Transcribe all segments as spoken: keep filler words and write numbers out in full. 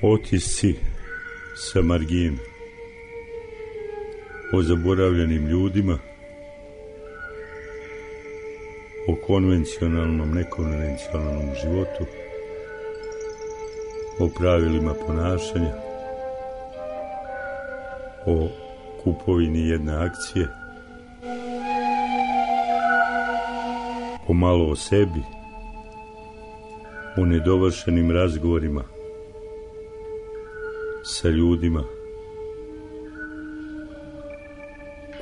Otisci sa margine, o zaboravljenim ljudima, o konvencionalnom, nekonvencionalnom životu, o pravilima ponašanja, o kupovini jedne akcije, pomalo o sebi, o nedovršenim razgovorima sa ljudima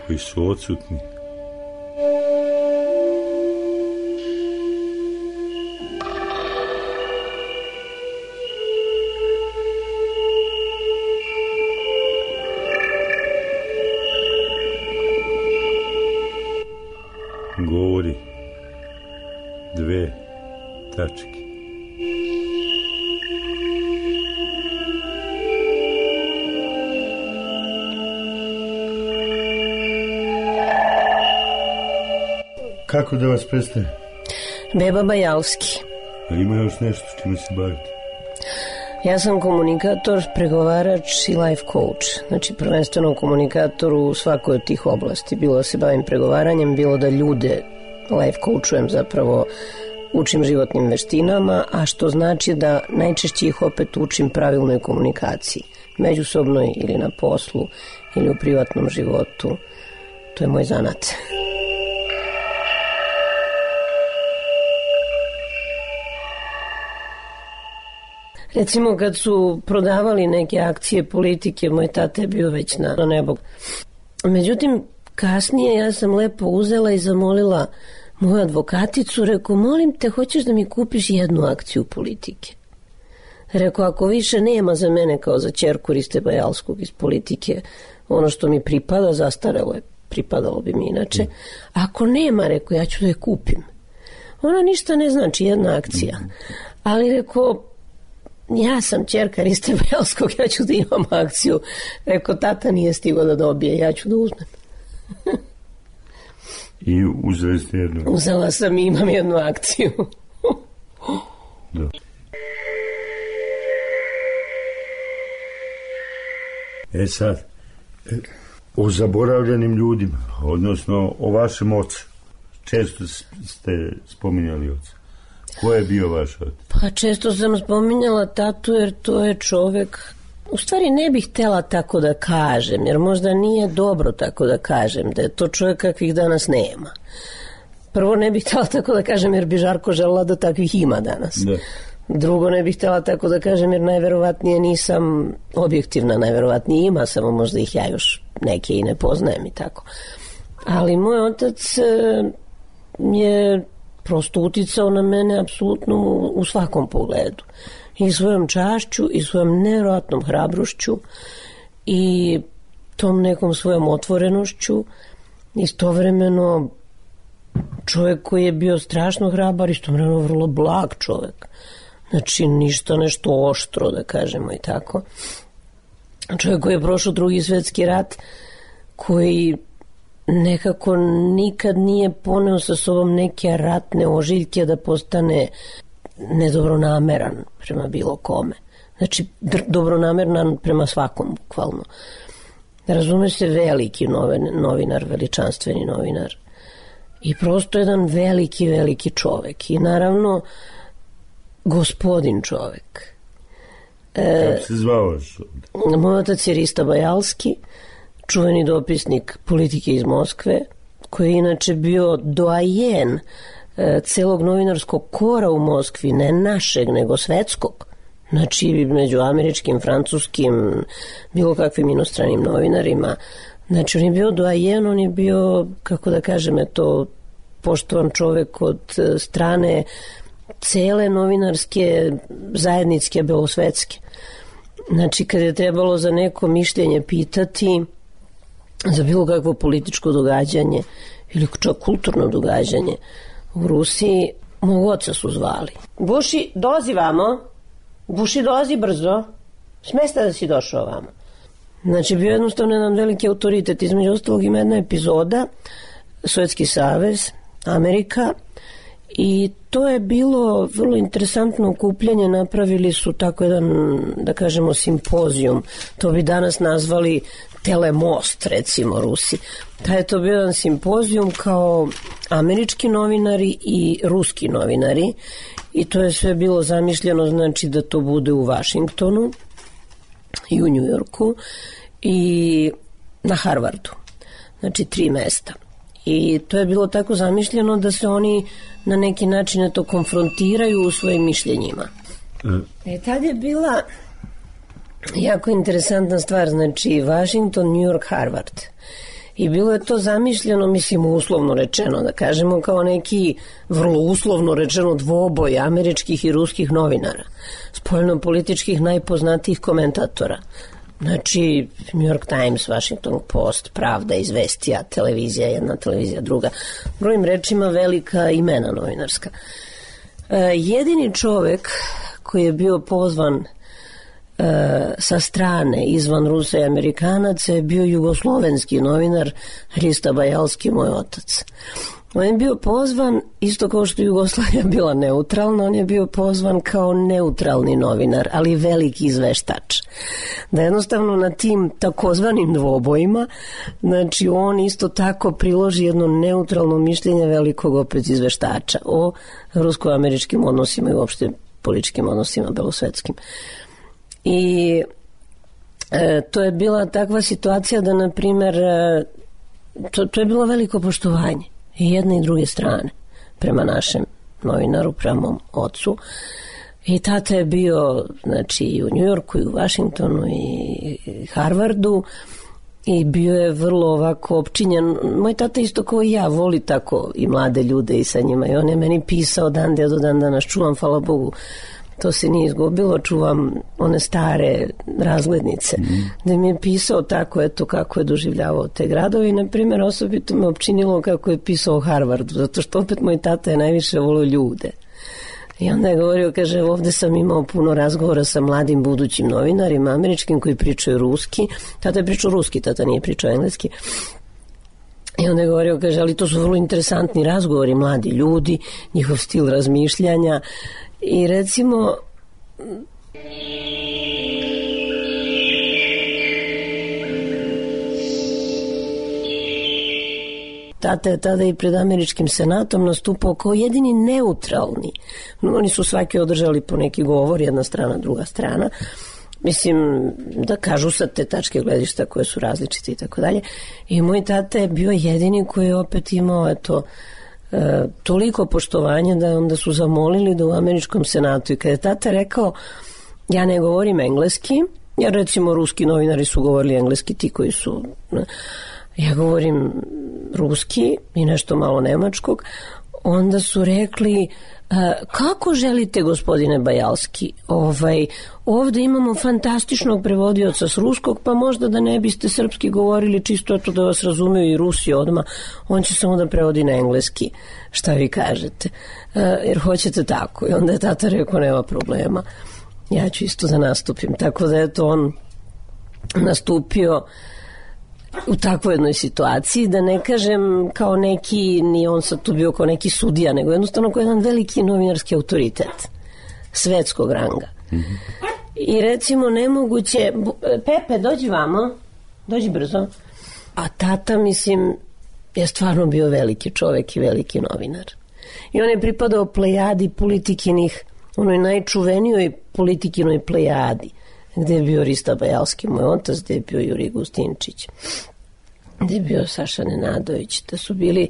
koji su odsutni. Govori dve tačke. Kako da vas predstavim? Beba Bajalski. A ima još nešto s čime se bavite? Ja sam komunikator, pregovarač i life coach. Znači prvenstveno komunikator u svakoj od tih oblasti. Bilo da se bavim pregovaranjem, bilo da ljude life coachujem, zapravo učim životnim veštinama, a što znači da najčešće ih opet učim pravilnoj komunikaciji. Međusobnoj ili na poslu ili u privatnom životu. To je moj zanat. Recimo kad su prodavali neke akcije politike, moj tata je bio već na, na nebo. Međutim, kasnije ja sam lepo uzela i zamolila moju advokaticu, rekao, molim te, hoćeš da mi kupiš jednu akciju politike? Rekao, ako više nema za mene kao za ćerku Riste Bajalskog iz politike, ono što mi pripada, zastarelo je, pripadalo bi mi inače. Ako nema, rekao, ja ću da je kupim. Ona ništa ne znači, jedna akcija. Ali rekao, ja sam ćerka Riste Bajalskog, ja ću da imam akciju. Rekao, tata nije stigao da dobije, ja ću da uzmem. I uzeli ste jednu? Uzela sam i imam jednu akciju. Da. E sad, o zaboravljenim ljudima, odnosno o vašem ocu. Često ste spominjali oca. Ko je bio vaš otac? Pa često sam spominjala tatu jer to je čovek, u stvari ne bih htela tako da kažem, jer možda nije dobro tako da kažem, da je to čovjek kakvih danas nema. Prvo ne bih htela tako da kažem jer bi žarko želela da takvih ima danas. Da. Drugo ne bih htela tako da kažem jer najverovatnije nisam objektivna, najverovatnije ima, samo možda ih ja još neke i ne poznajem i tako. Ali moj otac je prosto uticao na mene apsolutno u svakom pogledu. I svojom čašću, i svojom nevjerojatnom hrabrošću, i tom nekom svojom otvorenošću. Istovremeno čovjek koji je bio strašno hrabar, istovremeno vrlo blag čovjek. Znači ništa nešto oštro, da kažemo i tako. Čovjek koji je prošao drugi svjetski rat, koji nekako nikad nije poneo sa sobom neke ratne ožiljke da postane nedobronameran prema bilo kome. Znači, dobronameran prema svakom, bukvalno. Razume se, veliki novinar, veličanstveni novinar. I prosto jedan veliki, veliki čovek. I naravno, gospodin čovek. E, Kako se zvao? Moj otac je Rista Bajalski, čuveni dopisnik politike iz Moskve, koji je inače bio doajen celog novinarskog kora u Moskvi, ne našeg, nego svetskog. Znači, među američkim, francuskim, bilo kakvim inostranim novinarima. Znači, on je bio doajen, on je bio, kako da kažem, to poštovan čovek od strane cele novinarske zajedničke belosvetske. Znači, kad je trebalo za neko mišljenje pitati, za bilo kakvo političko događanje ili čak kulturno događanje u Rusiji, mog oca su zvali. Buši, dolazi vamo. Buši, dolazi brzo. Smesta da si došao vamo. Znači, bio jednostavno jedan veliki autoritet. Između ostalog ima jedna epizoda, Sovjetski savez, Amerika I to je bilo vrlo interesantno okupljanje, napravili su tako jedan, da kažemo, simpozijum, to bi danas nazvali telemost, recimo Rusi. Da je to bio jedan simpozijum kao američki novinari i ruski novinari i to je sve bilo zamišljeno, znači da to bude u Vašingtonu i u Njujorku i na Harvardu, znači tri mesta. I to je bilo tako zamišljeno da se oni na neki način to konfrontiraju u svojim mišljenjima. E, tad je bila jako interesantna stvar, znači Washington, New York, Harvard. I bilo je to zamišljeno, mislim, uslovno rečeno, da kažemo, kao neki vrlo uslovno rečeno dvoboj američkih i ruskih novinara, spoljno-političkih najpoznatijih komentatora. Znači, New York Times, Washington Post, Pravda, Izvestija, televizija, jedna televizija, druga. Brojim rečima velika imena novinarska. E, jedini čovek koji je bio pozvan e, sa strane, izvan Rusa i Amerikanaca, je bio jugoslovenski novinar Hrista Bajalski, moj otac. On je bio pozvan, isto kao što Jugoslavija bila neutralna, on je bio pozvan kao neutralni novinar, ali veliki izveštač. Da jednostavno na tim takozvanim dvobojima, znači on isto tako priloži jedno neutralno mišljenje velikog opet izveštača o rusko-američkim odnosima i uopšte političkim odnosima belosvetskim. I e, to je bila takva situacija da, na primer, e, to, to je bilo veliko poštovanje i jedne i druge strane prema našem novinaru, prema mom ocu. I tata je bio, znači, i u Njujorku i u Vašingtonu i Harvardu i bio je vrlo ovako opčinjen. Moj tata isto kao i ja voli tako i mlade ljude i sa njima i on je meni pisao dan da do dan danas čuvam, hvala Bogu, to se nije izgubilo, čuvam one stare razglednice, mm. gde mi je pisao tako, eto, kako je doživljavao te gradovi. Na primjer, osobito me opčinilo kako je pisao o Harvardu, zato što opet moj tata je najviše volio ljude. I onda je govorio, kaže, ovde sam imao puno razgovora sa mladim budućim novinarima američkim koji pričaju ruski. Tata je pričao ruski, tata nije pričao engleski. I onda je govorio, kaže, ali to su vrlo interesantni razgovori, mladi ljudi, njihov stil razmišljanja. I recimo tata je tada i pred američkim senatom nastupao kao jedini neutralni. Oni su svaki održali po neki govor, jedna strana, druga strana. Mislim, da kažu sa te tačke gledišta koje su različite i tako dalje. I moj tata je bio jedini koji je opet imao, eto, E, toliko poštovanja da onda su zamolili da u američkom senatu, i kada je tata rekao ja ne govorim engleski, jer recimo ruski novinari su govorili engleski, ti koji su, ja govorim ruski i nešto malo nemačkog, onda su rekli kako želite, gospodine Bajalski, ovaj, ovde imamo fantastičnog prevodioca s ruskog, pa možda da ne biste srpski govorili, čisto eto da vas razumiju i Rusi odmah, on će samo da prevodi na engleski, šta vi kažete, jer hoćete tako. I onda je tata rekao, nema problema, ja ću isto da nastupim, tako da je to on nastupio u takvoj jednoj situaciji, da ne kažem kao neki, ni on sad tu bio kao neki sudija, nego jednostavno kao jedan veliki novinarski autoritet svetskog ranga. Mm-hmm. I recimo nemoguće, Pepe, dođi vamo, dođi brzo. A tata, mislim, je stvarno bio veliki čovek i veliki novinar. I on je pripadao plejadi politikinih, onoj najčuvenijoj politikinoj plejadi, gde je bio Hrista Bajalski, moj otac, gde je bio Jurij Gustinčić, gde je bio Saša Nenadović, da su bili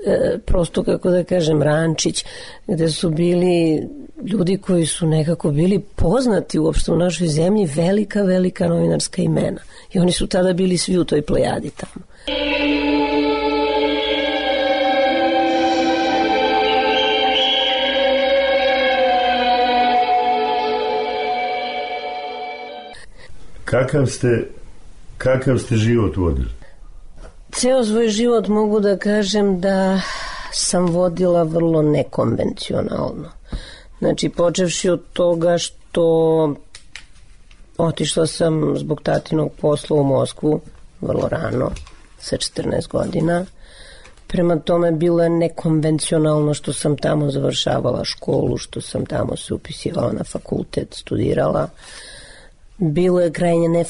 e, prosto, kako da kažem, Rančić, gde su bili ljudi koji su nekako bili poznati uopšte u našoj zemlji, velika, velika novinarska imena. I oni su tada bili svi u toj plejadi tamo. Kakav ste, kakav ste život vodili? Ceo svoj život mogu da kažem da sam vodila vrlo nekonvencionalno. Znači, počevši od toga što otišla sam zbog tatinog posla u Moskvu vrlo rano, sa četrnaest godina. Prema tome bilo je nekonvencionalno što sam tamo završavala školu, što sam tamo se upisivala na fakultet, studirala. Bilo je krajnje ne,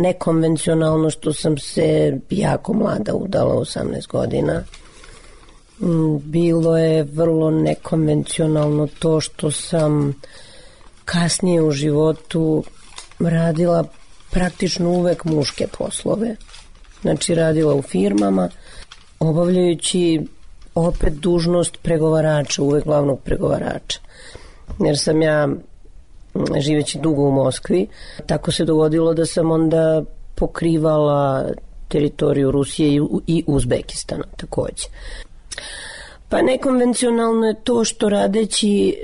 nekonvencionalno što sam se jako mlada udala, osamnaest godina. Bilo je vrlo nekonvencionalno to što sam kasnije u životu radila praktično uvek muške poslove. Znači radila u firmama, obavljajući opet dužnost pregovarača, uvek glavnog pregovarača. Jer sam ja, živeći dugo u Moskvi, tako se dogodilo da sam onda pokrivala teritoriju Rusije i Uzbekistana takođe. Pa nekonvencionalno je to što radeći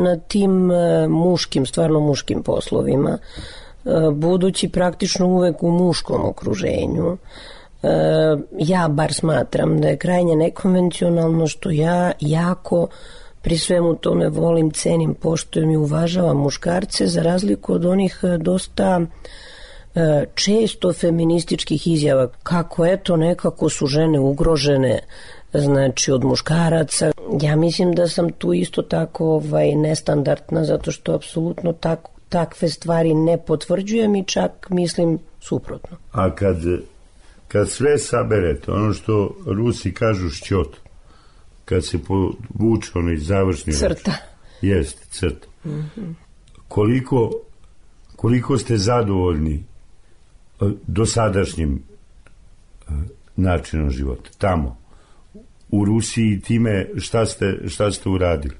na tim muškim, stvarno muškim poslovima, budući praktično uvek u muškom okruženju, ja bar smatram da je krajnje nekonvencionalno što ja jako pri svemu tome volim, cenim, poštujem i uvažavam muškarce, za razliku od onih dosta često feminističkih izjava, kako eto nekako su žene ugrožene, znači od muškaraca. Ja mislim da sam tu isto tako ovaj, nestandardna, zato što apsolutno tako, takve stvari ne potvrđujem i čak mislim suprotno. A kad, kad sve saberete, ono što Rusi kažu šćot, kad se povuče onaj završni crta. Rač, jest, crta. Mm-hmm. Koliko, koliko ste zadovoljni dosadašnjim načinom života, tamo, u Rusiji, time šta ste, šta ste uradili?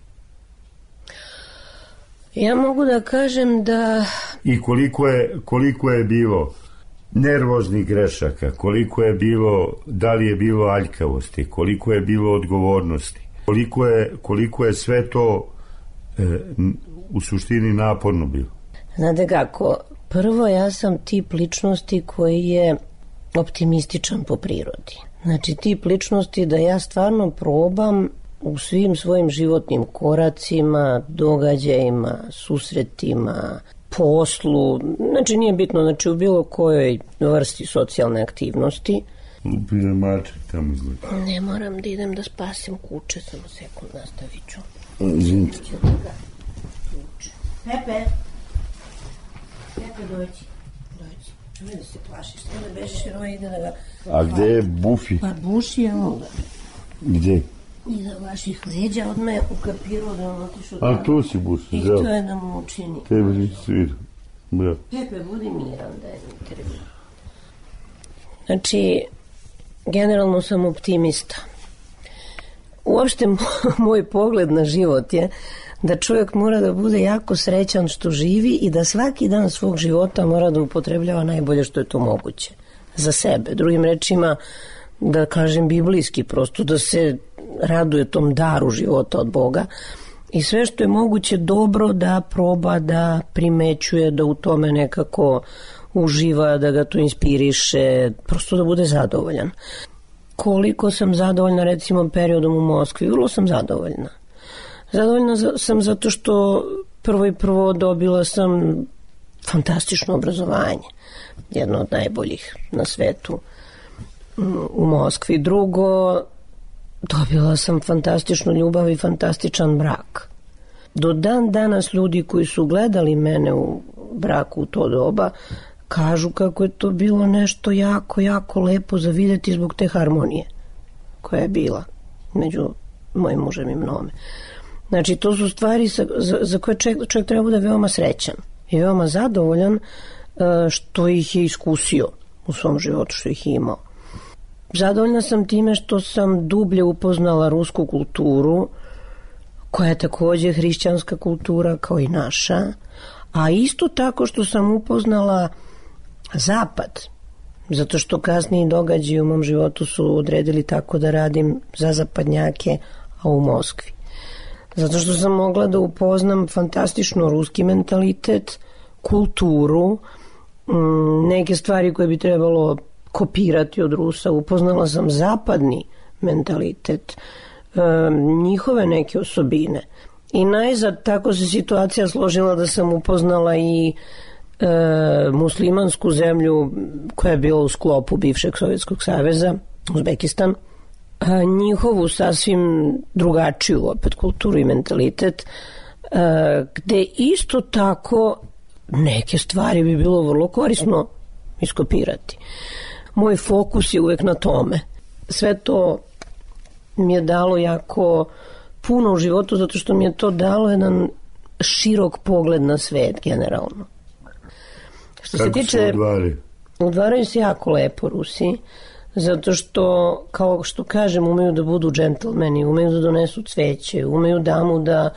Ja mogu da kažem da... I koliko je, koliko je bilo nervoznih grešaka, koliko je bilo, da li je bilo aljkavosti, koliko je bilo odgovornosti, koliko je, koliko je sve to e, u suštini naporno bilo? Znate kako, prvo ja sam tip ličnosti koji je optimističan po prirodi. Znači tip ličnosti da ja stvarno probam u svim svojim životnim koracima, događajima, susretima, poslu, znači nije bitno, znači u bilo kojoj vrsti socijalne aktivnosti. Lupine maček tamo izgleda. Ne moram da idem da spasim kuće, samo sekund, nastavit ću. Izvinite. Pepe, Pepe dođi, dođi. Ne da se plašiš, ne da bežiš jer ovo ide da ga... A gde je Bufi? Pa Buši je onda. Gde? Iza vaših leđa odmah je ukapirao da on otišao... A tu si Buši, zdravo. I to je da mu učini. Tebe nisi svidio. Bravo. Pepe, budi miran, daj mi intervju. Znači, generalno sam optimista. Uopšte moj pogled na život je da čovjek mora da bude jako srećan što živi i da svaki dan svog života mora da upotrebljava najbolje što je to moguće. Za sebe. Drugim rečima, da kažem biblijski, prosto da se raduje tom daru života od Boga i sve što je moguće dobro da proba, da primećuje, da u tome nekako uživa, da ga to inspiriše, prosto da bude zadovoljan. Koliko sam zadovoljna recimo periodom u Moskvi? Vrlo sam zadovoljna. Zadovoljna sam zato što prvo i prvo dobila sam fantastično obrazovanje. Jedno od najboljih na svetu u Moskvi. Drugo, dobila sam fantastičnu ljubav i fantastičan brak. Do dan danas ljudi koji su gledali mene u braku u to doba kažu kako je to bilo nešto jako, jako lepo za vidjeti zbog te harmonije koja je bila među mojim mužem i mnome. Znači, to su stvari za, za, za koje čovjek, čovjek treba bude veoma srećan i veoma zadovoljan što ih je iskusio u svom životu, što ih je imao. Zadovoljna sam time što sam dublje upoznala rusku kulturu, koja je također hrišćanska kultura kao i naša, a isto tako što sam upoznala Zapad, zato što kasniji događaji u mom životu su odredili tako da radim za zapadnjake, a u Moskvi. Zato što sam mogla da upoznam fantastično ruski mentalitet, kulturu, neke stvari koje bi trebalo kopirati od Rusa. Upoznala sam zapadni mentalitet, njihove neke osobine. I najzad tako se situacija složila da sam upoznala i e, muslimansku zemlju koja je bila u sklopu bivšeg Sovjetskog saveza, Uzbekistan. a, njihovu sasvim drugačiju opet kulturu i mentalitet, a, gde isto tako neke stvari bi bilo vrlo korisno iskopirati. Moj fokus je uvek na tome. Sve to mi je dalo jako puno u životu, zato što mi je to dalo jedan širok pogled na svet generalno. Što Kako se tiče, se udvari? Udvaraju se jako lepo Rusi, zato što, kao što kažem, umeju da budu džentlmeni, umeju da donesu cveće, umeju damu da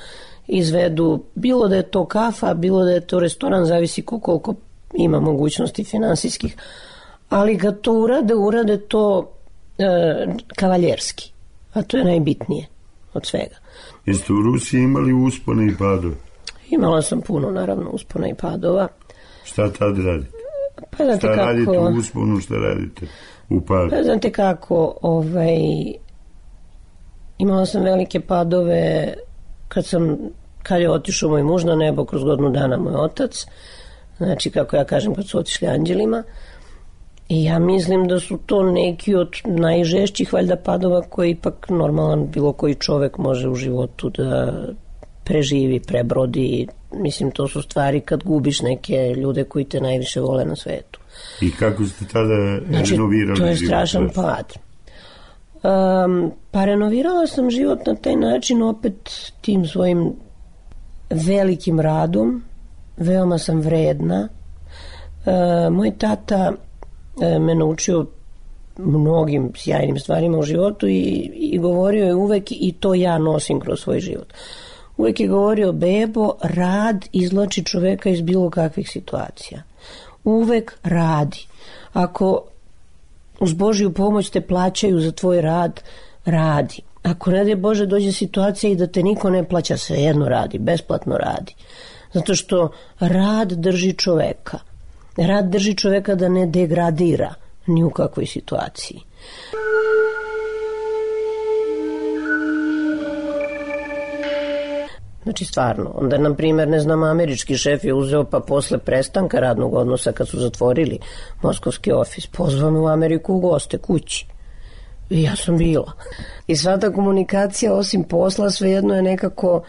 izvedu, bilo da je to kafa, bilo da je to restoran, zavisi koliko ima mogućnosti finansijskih, ali kad to urade, urade to e, kavaljerski, a to je najbitnije od svega. Jeste u Rusiji imali uspone i padove? Imala sam puno, naravno, uspona i padova. Šta tad radite? Pa znate šta kako, radite u usponu, šta radite u padu? Pa znate kako, ovaj, imala sam velike padove kad sam, kad je otišao moj muž na nebo, kroz godinu dana moj otac, znači kako ja kažem kad su otišli anđelima, i ja mislim da su to neki od najžešćih valjda padova koji ipak normalan bilo koji čovek može u životu da preživi, prebrodi. Mislim, to su stvari kad gubiš neke ljude koji te najviše vole na svetu. I kako ste tada znači, renovirali to je život? strašan pad. Um, pa renovirala sam život na taj način opet tim svojim velikim radom, veoma sam vredna. Uh, moj tata uh, me naučio mnogim sjajnim stvarima u životu i, i govorio je uvek, i to ja nosim kroz svoj život. Uvek je govorio: bebo, rad izvlači čoveka iz bilo kakvih situacija. Uvek radi. Ako uz Božju pomoć te plaćaju za tvoj rad, radi. Ako ne daj Bože dođe situacija i da te niko ne plaća, svejedno radi, besplatno radi. Zato što rad drži čoveka. Rad drži čoveka da ne degradira ni u kakvoj situaciji. Znači stvarno, onda na primjer, ne znam, američki šef je uzeo pa posle prestanka radnog odnosa kad su zatvorili moskovski ofis, pozvao me u Ameriku u goste kući. I ja sam bila. I sva ta komunikacija osim posla svejedno je nekako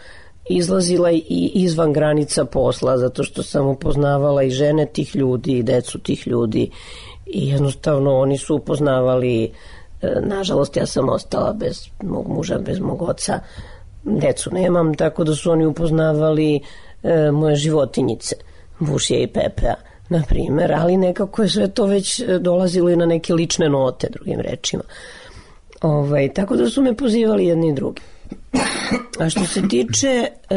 izlazila i izvan granica posla, zato što sam upoznavala i žene tih ljudi i decu tih ljudi i jednostavno oni su upoznavali, nažalost ja sam ostala bez mog muža, bez mog oca, decu nemam, tako da su oni upoznavali e, moje životinjice, Vušije i Pepea, na primjer, ali nekako je sve to već dolazilo i na neke lične note, drugim rečima. Ovaj, tako da su me pozivali jedni i drugi. A što se tiče e,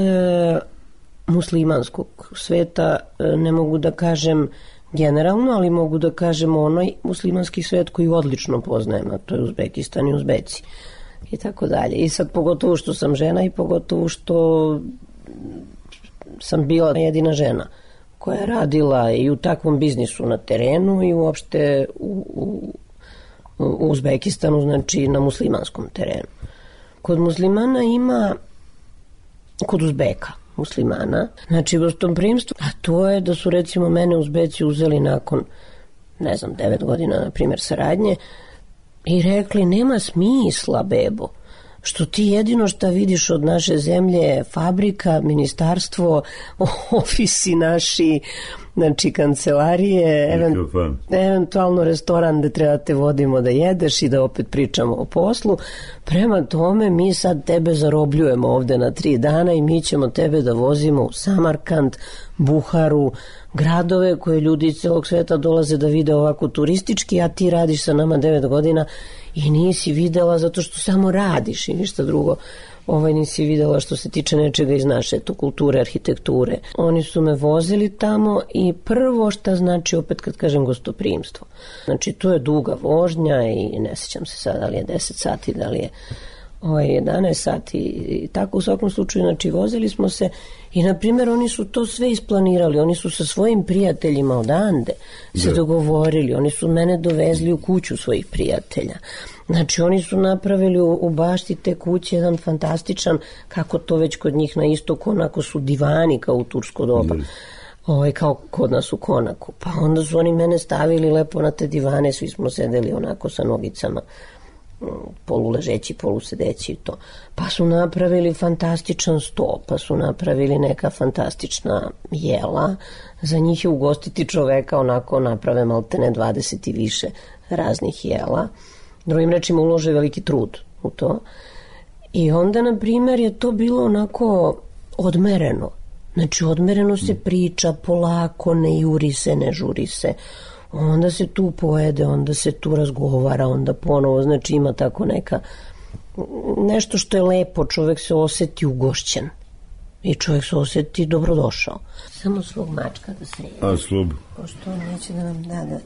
muslimanskog sveta, e, ne mogu da kažem generalno, ali mogu da kažem onaj muslimanski svet koji odlično poznajem, a to je Uzbekistan i Uzbeci i tako dalje. I sad pogotovo što sam žena i pogotovo što sam bila jedina žena koja je radila i u takvom biznisu na terenu i uopšte u, u, u Uzbekistanu, znači na muslimanskom terenu. Kod muslimana ima, kod Uzbeka muslimana, znači gostoprimstvo, a to je da su recimo mene Uzbeci uzeli nakon, ne znam, devet godina, na primjer, saradnje, i rekli: nema smisla, bebo, što ti jedino što vidiš od naše zemlje je fabrika, ministarstvo, ofisi naši, znači kancelarije, event, eventualno restoran da treba te vodimo da jedeš i da opet pričamo o poslu. Prema tome mi sad tebe zarobljujemo ovde na tri dana i mi ćemo tebe da vozimo u Samarkand, Buharu, gradove koje ljudi iz celog sveta dolaze da vide ovako turistički, a ti radiš sa nama devet godina i nisi videla zato što samo radiš i ništa drugo. Ovaj nisi videla što se tiče nečega iz naše tu kulture, arhitekture. Oni su me vozili tamo i prvo šta znači, opet kad kažem, gostoprimstvo. Znači to je duga vožnja i ne sjećam se sad da li je deset sati, da li je ovaj, jedanaest sati i tako u svakom slučaju. Znači vozili smo se i na primjer oni su to sve isplanirali, oni su sa svojim prijateljima odande se da. dogovorili, oni su mene dovezli u kuću svojih prijatelja. Znači oni su napravili u, u bašti te kuće jedan fantastičan, kako to već kod njih na istoku, onako su divani kao u tursko doba. Da. Ovaj, kao kod nas u Konaku. Pa onda su oni mene stavili lepo na te divane, svi smo sedeli onako sa nogicama poluležeći, polusedeći i to. Pa su napravili fantastičan sto, pa su napravili neka fantastična jela. Za njih je ugostiti čoveka, onako naprave maltene dvadeset i više raznih jela. Drugim rečima ulože veliki trud u to. I onda, na primjer, je to bilo onako odmereno. Znači, odmereno se priča polako, ne juri se, ne žuri se. Onda se tu pojede, onda se tu razgovara, onda ponovo, znači ima tako neka, nešto što je lepo, čovjek se osjeti ugošćen i čovjek se osjeti dobrodošao. Samo svog mačka da se jede. A slub? Pošto on neće da nam da da.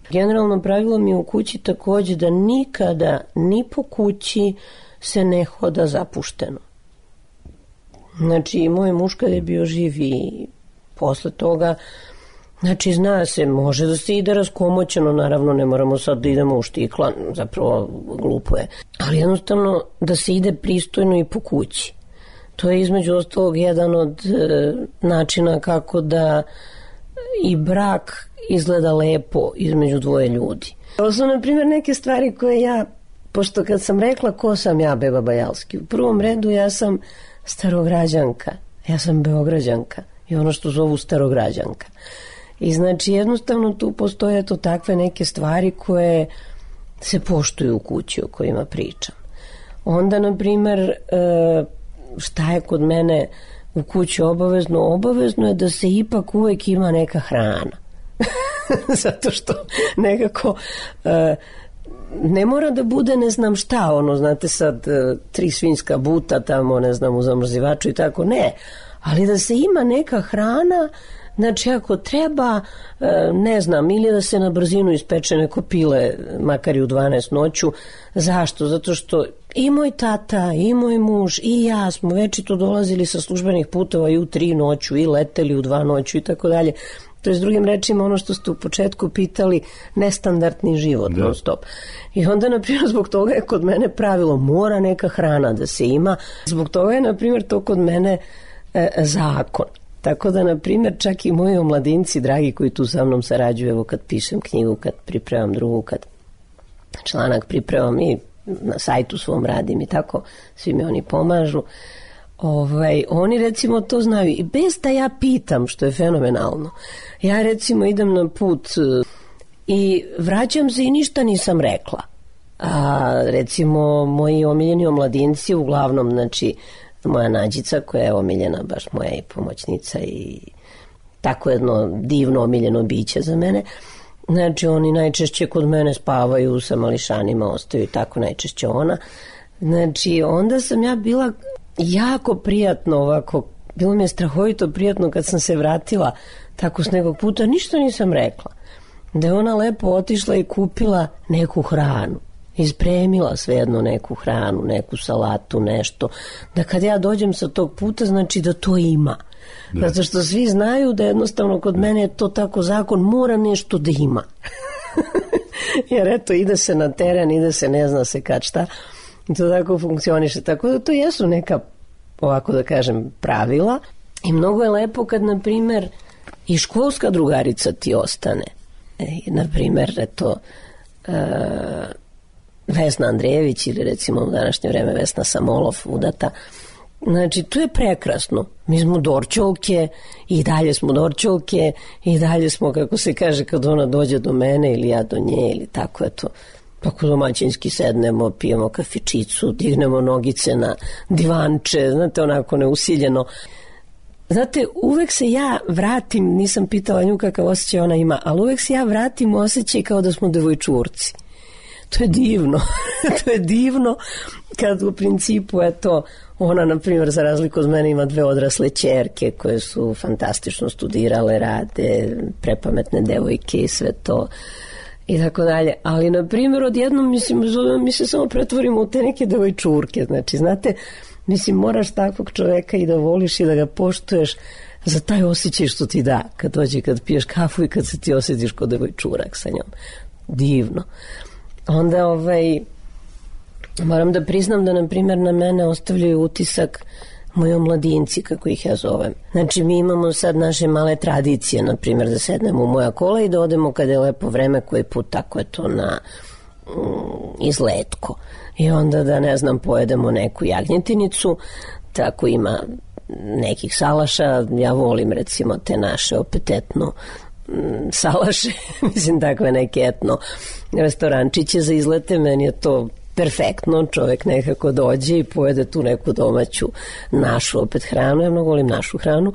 Generalno pravilo mi je u kući takođe da nikada ni po kući se ne hoda zapušteno. Znači, moj muž kad je bio živ i posle toga, znači, zna se, može da se ide raskomoćeno, naravno ne moramo sad da idemo u štikla, zapravo glupo je, ali jednostavno da se ide pristojno i po kući. To je između ostalog jedan od e, načina kako da i brak izgleda lepo između dvoje ljudi. To su, na primjer, neke stvari koje ja, pošto kad sam rekla ko sam ja, Beba Bajalski, u prvom redu ja sam starograđanka, ja sam beograđanka i ono što zovu starograđanka. I znači jednostavno tu postoje to takve neke stvari koje se poštuju u kući o kojima pričam. Onda, na primjer, šta je kod mene u kući obavezno? Obavezno je da se ipak uvek ima neka hrana. Zato što nekako ne mora da bude ne znam šta, ono, znate sad, tri svinjska buta tamo, ne znam, u zamrzivaču i tako, ne. Ali da se ima neka hrana. Znači, ako treba, ne znam, ili da se na brzinu ispeče neko pile, makar i u dvanaest noću. Zašto? Zato što i moj tata, i moj muž, i ja smo večito dolazili sa službenih putova i u tri noću, i leteli u dva noću i tako dalje. To je, s drugim rečima, ono što ste u početku pitali, nestandardni život, non stop. I onda, na primjer, zbog toga je kod mene pravilo, mora neka hrana da se ima. Zbog toga je, na primjer, to kod mene e, zakon. Tako da, na primjer, čak i moji omladinci, dragi, koji tu sa mnom sarađuju, evo kad pišem knjigu, kad pripremam drugu, kad članak pripremam i na sajtu svom radim i tako, svi mi oni pomažu. Ovaj, oni recimo to znaju i bez da ja pitam, što je fenomenalno. Ja recimo idem na put i vraćam se i ništa nisam rekla. A recimo moji omiljeni omladinci, uglavnom, znači, moja Nađica koja je omiljena, baš moja i pomoćnica i tako jedno divno omiljeno biće za mene. Znači, oni najčešće kod mene spavaju sa mališanima, ostaju i tako najčešće ona. Znači, onda sam ja bila jako prijatno ovako, bilo mi je strahovito prijatno kad sam se vratila tako s nekog puta, ništa nisam rekla. Da je ona lepo otišla i kupila neku hranu. Ispremila svejedno neku hranu, neku salatu, nešto. Da kad ja dođem sa tog puta, znači da to ima. Da. Zato što svi znaju da jednostavno kod mene je to tako zakon, mora nešto da ima. Jer eto, ide se na teren, ide se ne zna se kad šta. I to tako funkcioniše. Tako da to jesu neka, ovako da kažem, pravila. I mnogo je lepo kad, na primer, i školska drugarica ti ostane. E, na primer, eto, uh, Vesna Andrejević ili recimo u današnje vreme Vesna Samolov, udata. Znači, to je prekrasno. Mi smo dorčolke i dalje smo dorčolke i dalje smo, kako se kaže, kad ona dođe do mene ili ja do nje ili tako, eto, tako domaćinski sednemo, pijemo kafičicu, dignemo nogice na divanče, znate, onako neusiljeno. Znate, uvek se ja vratim, nisam pitala nju kakav osjećaj ona ima, ali uvek se ja vratim u osjećaj kao da smo devojčurci. To je divno. To je divno kad u principu, eto, ona, na primjer, za razliku od mene ima dve odrasle ćerke koje su fantastično studirale, rade, prepametne devojke i sve to i tako dalje. Ali, na primjer, odjednom, mislim, mi se samo pretvorimo u te neke devojčurke. Znači, znate, mislim, moraš takvog čoveka i da voliš i da ga poštuješ za taj osjećaj što ti da kad dođe, kad piješ kafu i kad se ti osjetiš kod devojčurak sa njom. Divno. Onda, ovaj, moram da priznam da, na primjer, na mene ostavljaju utisak moji omladinci, kako ih ja zovem. Znači, mi imamo sad naše male tradicije, na primjer, da sednemo u moja kola i da odemo kada je lepo vreme, koji put, tako je to na izletko. I onda da, ne znam, pojedemo neku jagnjetinicu, tako ima nekih salaša, ja volim recimo te naše opet etno salaše, mislim takve neke etno restorančiće za izlete, meni je to perfektno, čovjek nekako dođe i pojede tu neku domaću našu opet hranu, ja mnogo volim našu hranu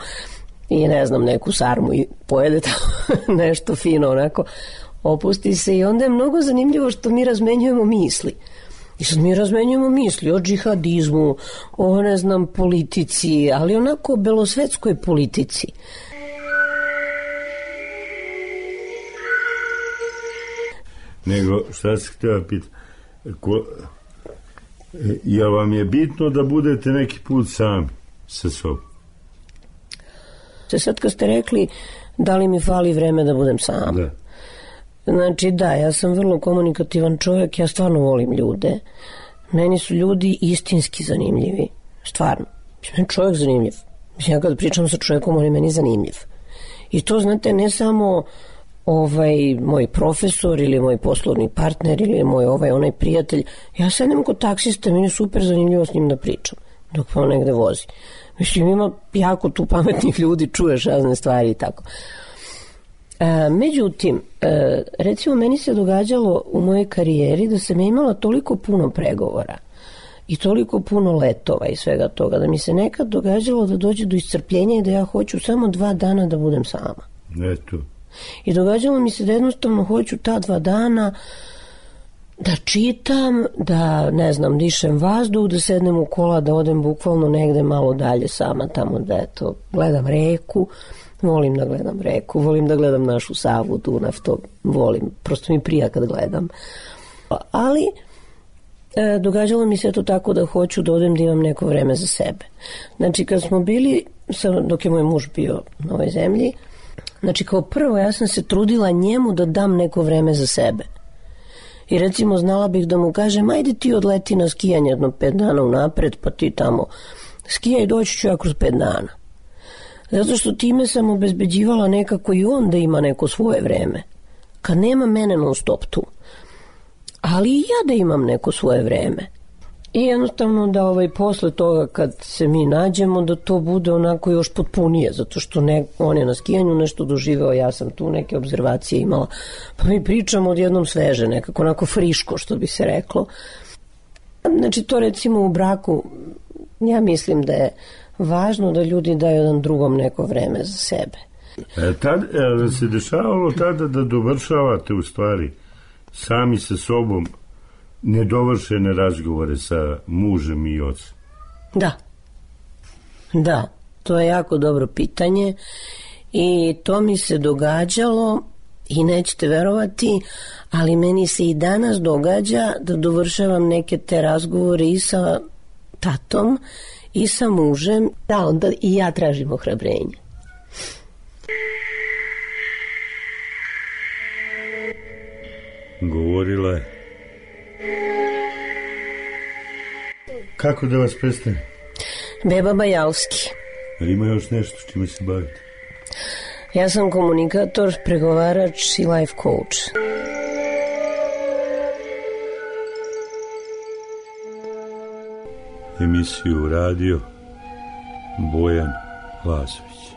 i ne znam, neku sarmu i pojede tamo nešto fino onako, opusti se i onda je mnogo zanimljivo što mi razmenjujemo misli. I sad mi razmenjujemo misli o džihadizmu, o ne znam politici, ali onako belosvetskoj politici. Nego, šta se htjela pitati? Ko, jel vam je bitno da budete neki put sami sa sobom? Sad kad ste rekli da li mi fali vreme da budem sam. Da. Znači da, ja sam vrlo komunikativan čovjek, ja stvarno volim ljude. Meni su ljudi istinski zanimljivi. Stvarno. Meni čovjek zanimljiv. Mislim, ja kad pričam sa čovjekom, on je meni zanimljiv. I to, znate, ne samo ovaj moj profesor ili moj poslovni partner ili moj ovaj onaj prijatelj. Ja sedem kod taksista, meni je super zanimljivo s njim da pričam dok pa on negde vozi. Mislim, ima jako tu pametnih ljudi, čuješ razne stvari i tako. E, međutim, e, recimo meni se događalo u mojoj karijeri da sam imala toliko puno pregovora i toliko puno letova i svega toga, da mi se nekad događalo da dođe do iscrpljenja i da ja hoću samo dva dana da budem sama. Eto. I događalo mi se da jednostavno hoću ta dva dana da čitam, da, ne znam, dišem vazduh, da sednem u kola, da odem bukvalno negde malo dalje sama tamo, da eto, gledam reku, volim da gledam reku, volim da gledam našu Savu, Dunav, to volim, prosto mi prija kad gledam. Ali e, događalo mi se to tako da hoću da odem da imam neko vreme za sebe. Znači, kad smo bili, dok je moj muž bio na ovoj zemlji, znači, kao prvo, ja sam se trudila njemu da dam neko vreme za sebe. I recimo, znala bih da mu kažem, ajde ti odleti na skijanje jedno pet dana unapred, pa ti tamo skijaj, doći ću ja kroz pet dana. Zato što time sam obezbeđivala nekako i on da ima neko svoje vreme. Kad nema mene non stop tu. Ali i ja da imam neko svoje vreme. I jednostavno da ovaj, posle toga kad se mi nađemo da to bude onako još potpunije, zato što ne, on je na skijanju nešto doživeo, ja sam tu neke obzervacije imala, pa mi pričamo odjednom sveže, nekako onako friško što bi se reklo. Znači to recimo u braku, ja mislim da je važno da ljudi daju jedan drugom neko vreme za sebe. E, tad, e, se dešavalo tada da dovršavate u stvari sami sa sobom nedovršene razgovore sa mužem i ocem? Da. Da, to je jako dobro pitanje i to mi se događalo i nećete verovati, ali meni se i danas događa da dovršavam neke te razgovore i sa tatom i sa mužem, da onda i ja tražim ohrabrenje. Govorila je. Kako da vas predstavim? Beba Bajalski. Ima još nešto s čime se bavite? Ja sam komunikator, pregovarač i life coach. Emisiju radio Bojan Lazović.